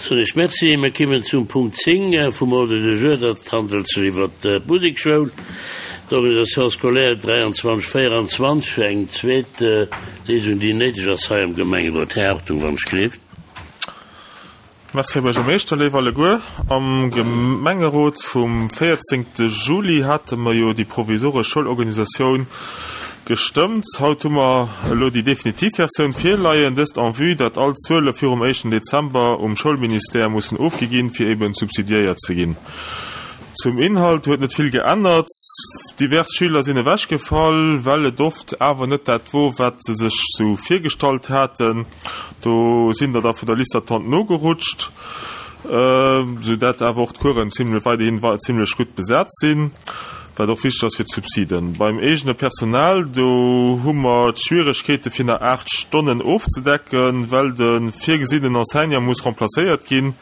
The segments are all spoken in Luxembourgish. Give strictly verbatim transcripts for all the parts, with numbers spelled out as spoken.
Soen ech Merci. Mir kimmen zum Punkt zéng vum Ordre du jour. Dat handelt sech iwwert d'Musekschoul, d'Organisation scolaire dräianzwanzeg véieranzwanzeg, eng zweet Lesung, déi néideg ass hei am Gemengerot. Här Hartung, wann ech gleeft. Merci, Här Buergermeeschter. Léif alleguer, am Gemengerot vum véierzéngte Juli hate mer jo déi provisoresch Schoulorganisatioun gestëmmt. Haut hu mer elo déi definitiv Versioun virleien, dëst en vue, datt all Zuele virum éischten Dezember um Schoulministère mussen ofgi ginn, fir eben subsidiéiert ze ginn. Zum Inhalt huet net vill geännert. Divers Schüler sinn ewechgefall, well et oft awer net dat wor, wat se sech sou virgestallt haten. Do sinn der da vun der Liste d'attente nogerutscht, sou dat awer och d'Coursen zimlech weiderhin zimlech gutt besat sinn, wat och wichteg ass fir d'Subsiden. Beim eegene Personal, do hu mer d'Schwieregkeete fir nach aacht Stonnen ofzedecken, well de virgesinnenen Enseignant muss remplacéiert ginn,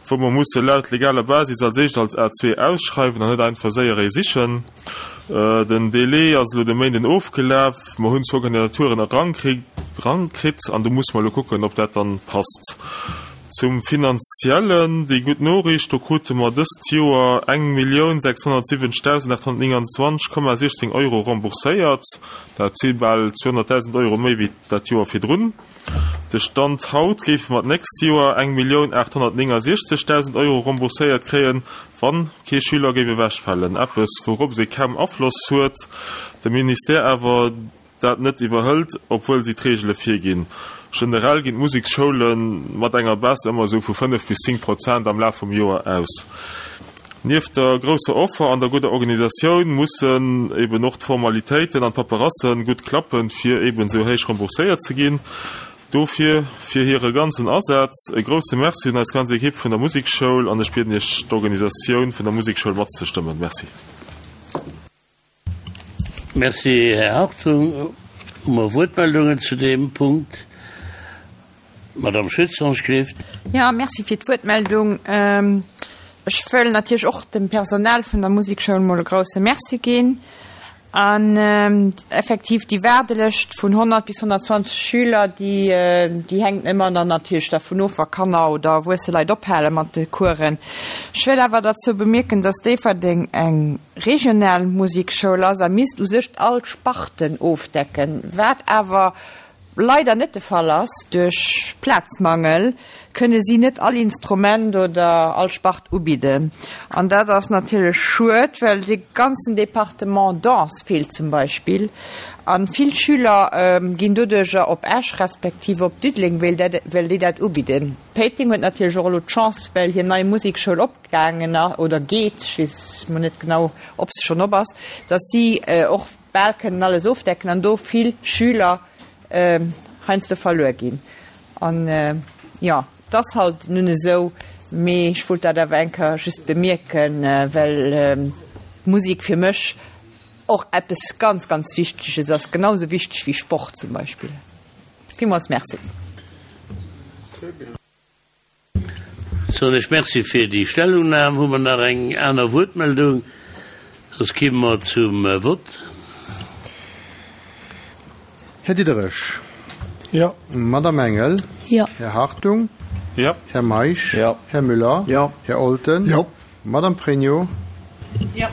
wou mer musse laut legaler Basis als éischt als A zwee ausschreiwen an net einfach séier ee sichen. Den Délai ass elo de Méinden ofgelaf. Mer hunn zwou Kandidaturen erankritt an do musse mer elo kucken, ob dat dann passt. Zum Finanziellen, déi gutt Noriicht, do krute mer dëst Joer eng Millioun sechshonnertsiwwenzegdausend aathonnertnénganzwanzeg Komma siechzéng Euro rembourséiert. Dat si bal zweehonnertdausend Euro méi wéi dat Joer virdrun. De Stand haut géife mer d'nächst Joer eng Millioun aathonnertnéngasiechzegdausend Euro rembourséiert kréien, wann kee Schüler géif ewechfalen. Eppes, wourops ee kaum Afloss huet, de Ministère awer dat net iwwerhëlt, obwuel si d'Reegele virginn. Generell ginn d'Museksschoule mat enger Baisse ëmmer esou vu fënnef bis zéng Prozent am Laf vum Joer aus. Nieft der grousser Offer an der gudder Organisatioun mussen eben och d'Formalitéiten an d'Paperasse gutt klappen, fir eben esou héich rembourséiert ze ginn. Dofir fir hire ganzen Asaz e grousse Merci un eis ganz Ekipp vun der Musekschoul an ech bieden Iech d'Organisatioun vun der Musekschoul matzestëmmen. Merci. Merci, Här Hartung. Hu mer Wuertmeldungen zu deem Punkt? Madame Schütz, Ange-Clift. Ja, merci fir d'Wuertmeldung. Ech wëll natierlech och dem Personal vun der Musekschoul mol e grousse Merci ginn. An effektiv déi Waardelëscht vun honnert bis honnertzwanzeg Schüler, déi, déi hänkt ëmmer dann natierlech dervun of, wa Kanner oder erwuesse Leit ophale mat de Coursen. Ech wëll awer derzou bemierken, dass Déifferdeng eng regional Musekschoul ass a misst u sech all Sparten ofdecken, wat awer leider net de Fall ass. Duerch Plazmangel kënne si net all Instrument oder all Spart ubidden. An dat ass natierlech schued, well de ganzen Departement Danse feelt zum Beispill. A vill Schüler ginn doduercher op Esch respektiv op Diddeleng, well dat, well déi dat ubidden. Péiteng huet natierlech och elo d'Chance, well hir nei Musekschoul opgaangen oder geet, ech weess mol net genau, ob se schonn op ass, datt si och bal kënnen alles ofdecken an do vill Schüler heiansdo verluer ginn. An jo, et ass halt nun esou, mee ech wollt dat awer eng Kéier just bemierken, well d'Musek fir mech och eppes ganz, ganz Wichteges ass, genau esou wichteg wéi Sport zum Beispill. Villmools Merci. Soen ech Merci fir déi Stellungnam. Hu mer nach eng aner Wuertmeldung? Soss kimme mer zum Vott. Här Diderich. Jo. Madame Engel. Jo. Här Hartung. Jo. Här Meisch. Jo. Här Müller. Jo. Här Olten. Jo. Madame Pregno. Jo.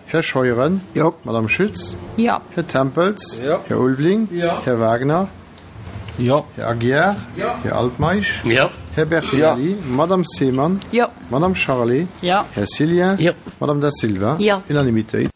Här Scheuren. Jo. Madame Schütz. Jo. Här Tempels. Jo. Här Ulveling. Jo. Här Wagner. Jo. Här Aguiar. Jo. Här Altmeisch. Jo. Här Bertinelli. Jo. Madame Seemann. Jo. Madame Charlé. Jo. Här Cillien. Jo. Madame Da Silva. Jo. Unanimitéit.